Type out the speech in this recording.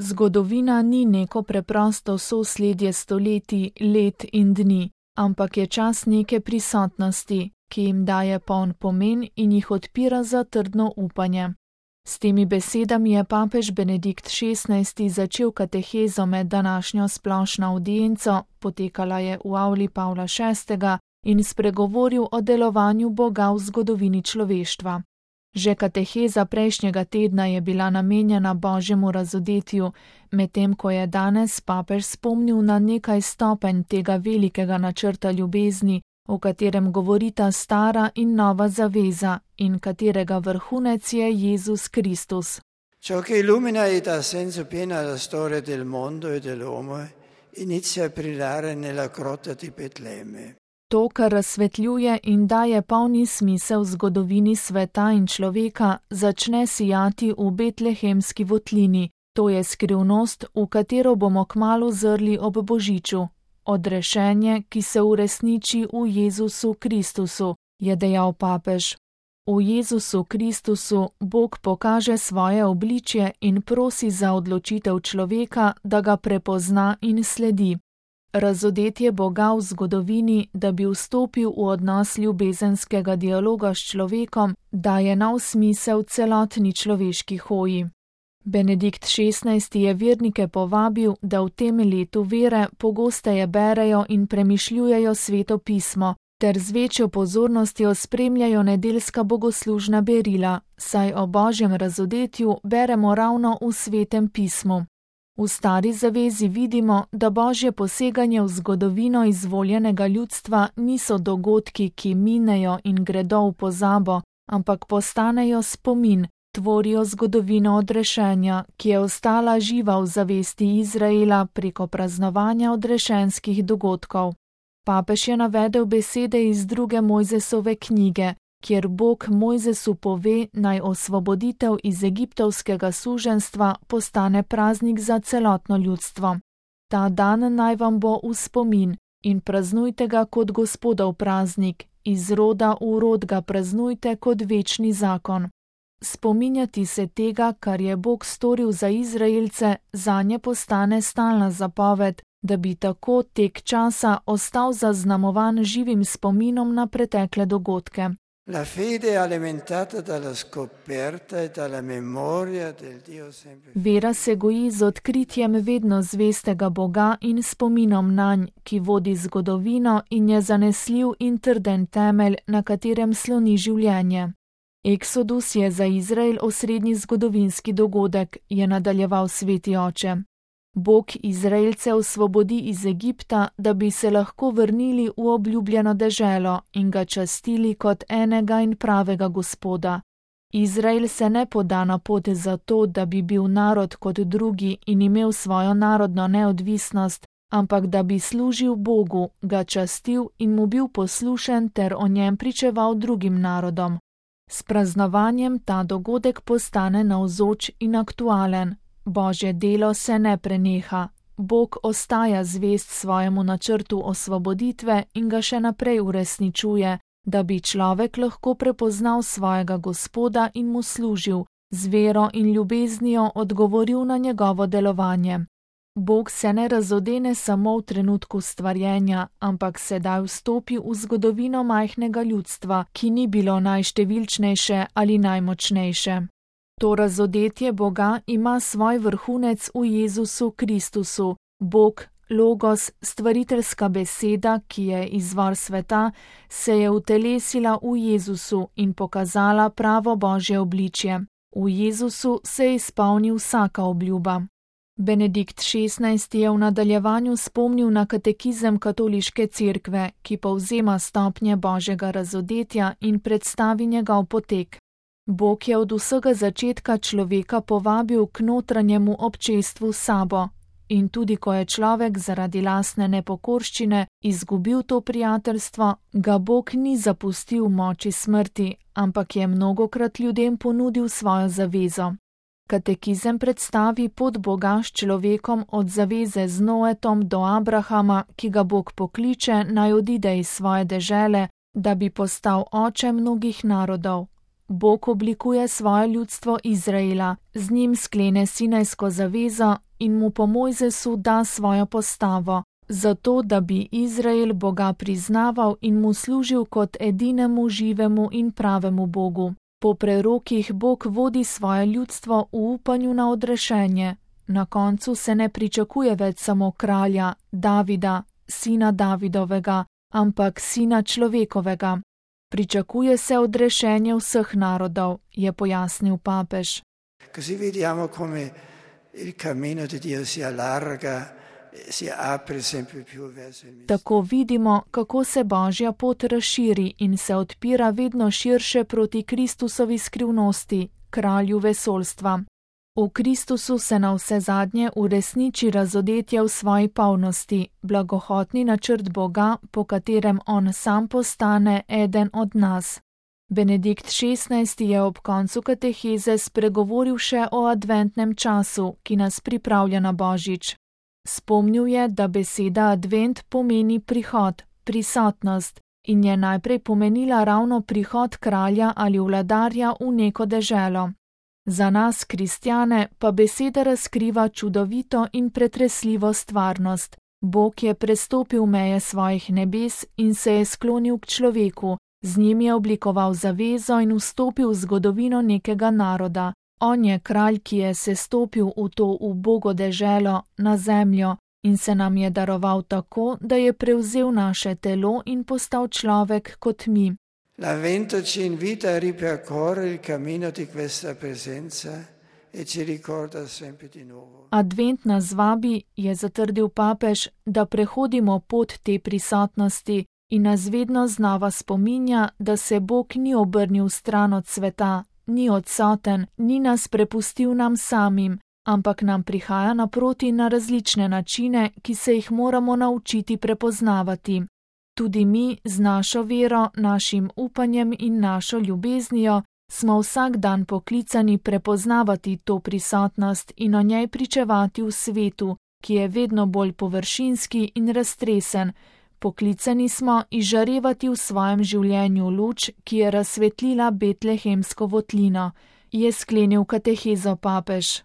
Zgodovina ni neko preprosto sosledje stoletij, let in dni, ampak je čas neke prisotnosti, ki jim daje poln pomen in jih odpira za trdno upanje. S temi besedami je papež Benedikt XVI. Začel katehezo med današnjo splošno avdienco, potekala je v avli Pavla VI. In spregovoril o delovanju Boga v zgodovini človeštva. Že kateheza prejšnjega tedna je bila namenjena Božjemu razodetju, medtem ko je danes papež spomnil na nekaj stopenj tega velikega načrta ljubezni, o katerem govorita stara in nova zaveza in katerega vrhunec je Jezus Kristus. Ciò che illumina ed dà senso pieno alla storia del mondo e dell'uomo inizia a brillare nella grotta di Betlemme. To, kar razsvetljuje in daje polni smisel zgodovini sveta in človeka, začne sijati v betlehemski votlini. To je skrivnost, v katero bomo kmalu zrli ob božiču. Odrešenje, ki se uresniči v Jezusu Kristusu, je dejal papež. V Jezusu Kristusu Bog pokaže svoje obličje in prosi za odločitev človeka, da ga prepozna in sledi. Razodetje Boga v zgodovini, da bi vstopil v odnos ljubezenskega dialoga s človekom, daje nov smisel celotni človeški hoji. Benedikt XVI. Je vernike povabil, da v tem letu vere pogosteje berejo in premišljujejo Sveto pismo, ter z večjo pozornostjo spremljajo nedeljska bogoslužna berila, saj o Božjem razodetju beremo ravno v Svetem pismu. V Stari zavezi vidimo, da Božje poseganje v zgodovino izvoljenega ljudstva niso dogodki, ki minejo in gredo v pozabo, ampak postanejo spomin, tvorijo zgodovino odrešenja, ki je ostala živa v zavesti Izraela preko praznovanja odrešenskih dogodkov. Papež je navedel besede iz 2. Mojzesove knjige, kjer Bog Mojzesu pove, naj osvoboditev iz egiptovskega suženjstva postane praznik za celotno ljudstvo. Ta dan naj vam bo v spomin in praznujte ga kot Gospodov praznik, iz roda v rod ga praznujte kot večni zakon. Spominjati se tega, kar je Bog storil za Izraelce, zanje postane stalna zapoved, da bi tako tek časa ostal zaznamovan živim spominom na pretekle dogodke. La fede è alimentata dalla scoperta e dalla memoria del Dio sempre. Vera se goji z odkritjem vedno zvestega Boga in spominom nanj, ki vodi zgodovino in je zanesljiv in trden temelj, na katerem sloni življenje. Eksodus je za Izrael osrednji zgodovinski dogodek, je nadaljeval sveti oče. Bog Izraelce osvobodi iz Egipta, da bi se lahko vrnili v obljubljeno deželo in ga častili kot enega in pravega Gospoda. Izrael se ne poda na pot zato, da bi bil narod kot drugi in imel svojo narodno neodvisnost, ampak da bi služil Bogu, ga častil in mu bil poslušen ter o njem pričeval drugim narodom. S praznovanjem ta dogodek postane navzoč in aktualen. Božje delo se ne preneha. Bog ostaja zvest svojemu načrtu osvoboditve in ga še naprej uresničuje, da bi človek lahko prepoznal svojega Gospoda in mu služil, z vero in ljubeznijo odgovoril na njegovo delovanje. Bog se ne razodene samo v trenutku stvarjenja, ampak sedaj vstopi v zgodovino majhnega ljudstva, ki ni bilo najštevilčnejše ali najmočnejše. To razodetje Boga ima svoj vrhunec v Jezusu Kristusu. Bog, Logos, stvariteljska beseda, ki je izvor sveta, se je utelesila v Jezusu in pokazala pravo Božje obličje. V Jezusu se je izpolnil vsaka obljuba. Benedikt XVI. Je v nadaljevanju spomnil na katekizem katoliške cerkve, ki povzema stopnje Božjega razodetja in predstavi njegov potek. Bog je od vsega začetka človeka povabil k notranjemu občestvu s sabo. In tudi ko je človek zaradi lastne nepokorščine izgubil to prijateljstvo, ga Bog ni zapustil v moči smrti, ampak je mnogokrat ljudem ponudil svojo zavezo. Katekizem predstavi pot Boga s človekom od zaveze z Noetom do Abrahama, ki ga Bog pokliče, naj odide iz svoje dežele, da bi postal oče mnogih narodov. Bog oblikuje svoje ljudstvo Izraela, z njim sklene sinajsko zavezo, in mu po Mojzesu da svojo postavo, zato da bi Izrael Boga priznaval in mu služil kot edinemu živemu in pravemu Bogu. Po prerokih Bog vodi svoje ljudstvo v upanju na odrešenje. Na koncu se ne pričakuje več samo kralja, Davida, sina Davidovega, ampak sina človekovega. Pričakuje se odrešenje vseh narodov, je pojasnil papež. Così vediamo come il cammino di Dio si allarga, si apre sempre più verso il mistero. Tako vidimo, kako se Božja pot razširi in se odpira vedno širše proti Kristusovi skrivnosti, kralju vesoljstva. V Kristusu se navsezadnje uresniči razodetje v svoji polnosti, blagohotni načrt Boga, po katerem on sam postane eden od nas. Benedikt XVI je ob koncu kateheze spregovoril še o adventnem času, ki nas pripravlja na Božič. Spomnil je, da beseda advent pomeni prihod, prisotnost in je najprej pomenila ravno prihod kralja ali vladarja v neko deželo. Za nas, kristjane, pa beseda razkriva čudovito in pretresljivo stvarnost. Bog je prestopil meje svojih nebes in se je sklonil k človeku, z njim je oblikoval zavezo in vstopil v zgodovino nekega naroda. On je kralj, ki je sestopil v to ubogo deželo, na zemljo, in se nam je daroval tako, da je prevzel naše telo in postal človek kot mi. L'avvento ci invita a ripercorrere il cammino di questa presenza e ci ricorda sempre di nuovo. Advent nas vabi, je zatrdil papež, da prehodimo pot te prisotnosti in nas vedno znova spominja, da se Bog ni obrnil stran od sveta, ni odsoten, ni nas prepustil nam samim, ampak nam prihaja naproti na različne načine, ki se jih moramo naučiti prepoznavati. Tudi mi z našo vero, našim upanjem in našo ljubeznijo smo vsak dan poklicani prepoznavati to prisotnost in o njej pričevati v svetu, ki je vedno bolj površinski in raztresen. Poklicani smo izžarevati v svojem življenju luč, ki je razsvetlila betlehemsko votlino, je sklenil katehezo papež.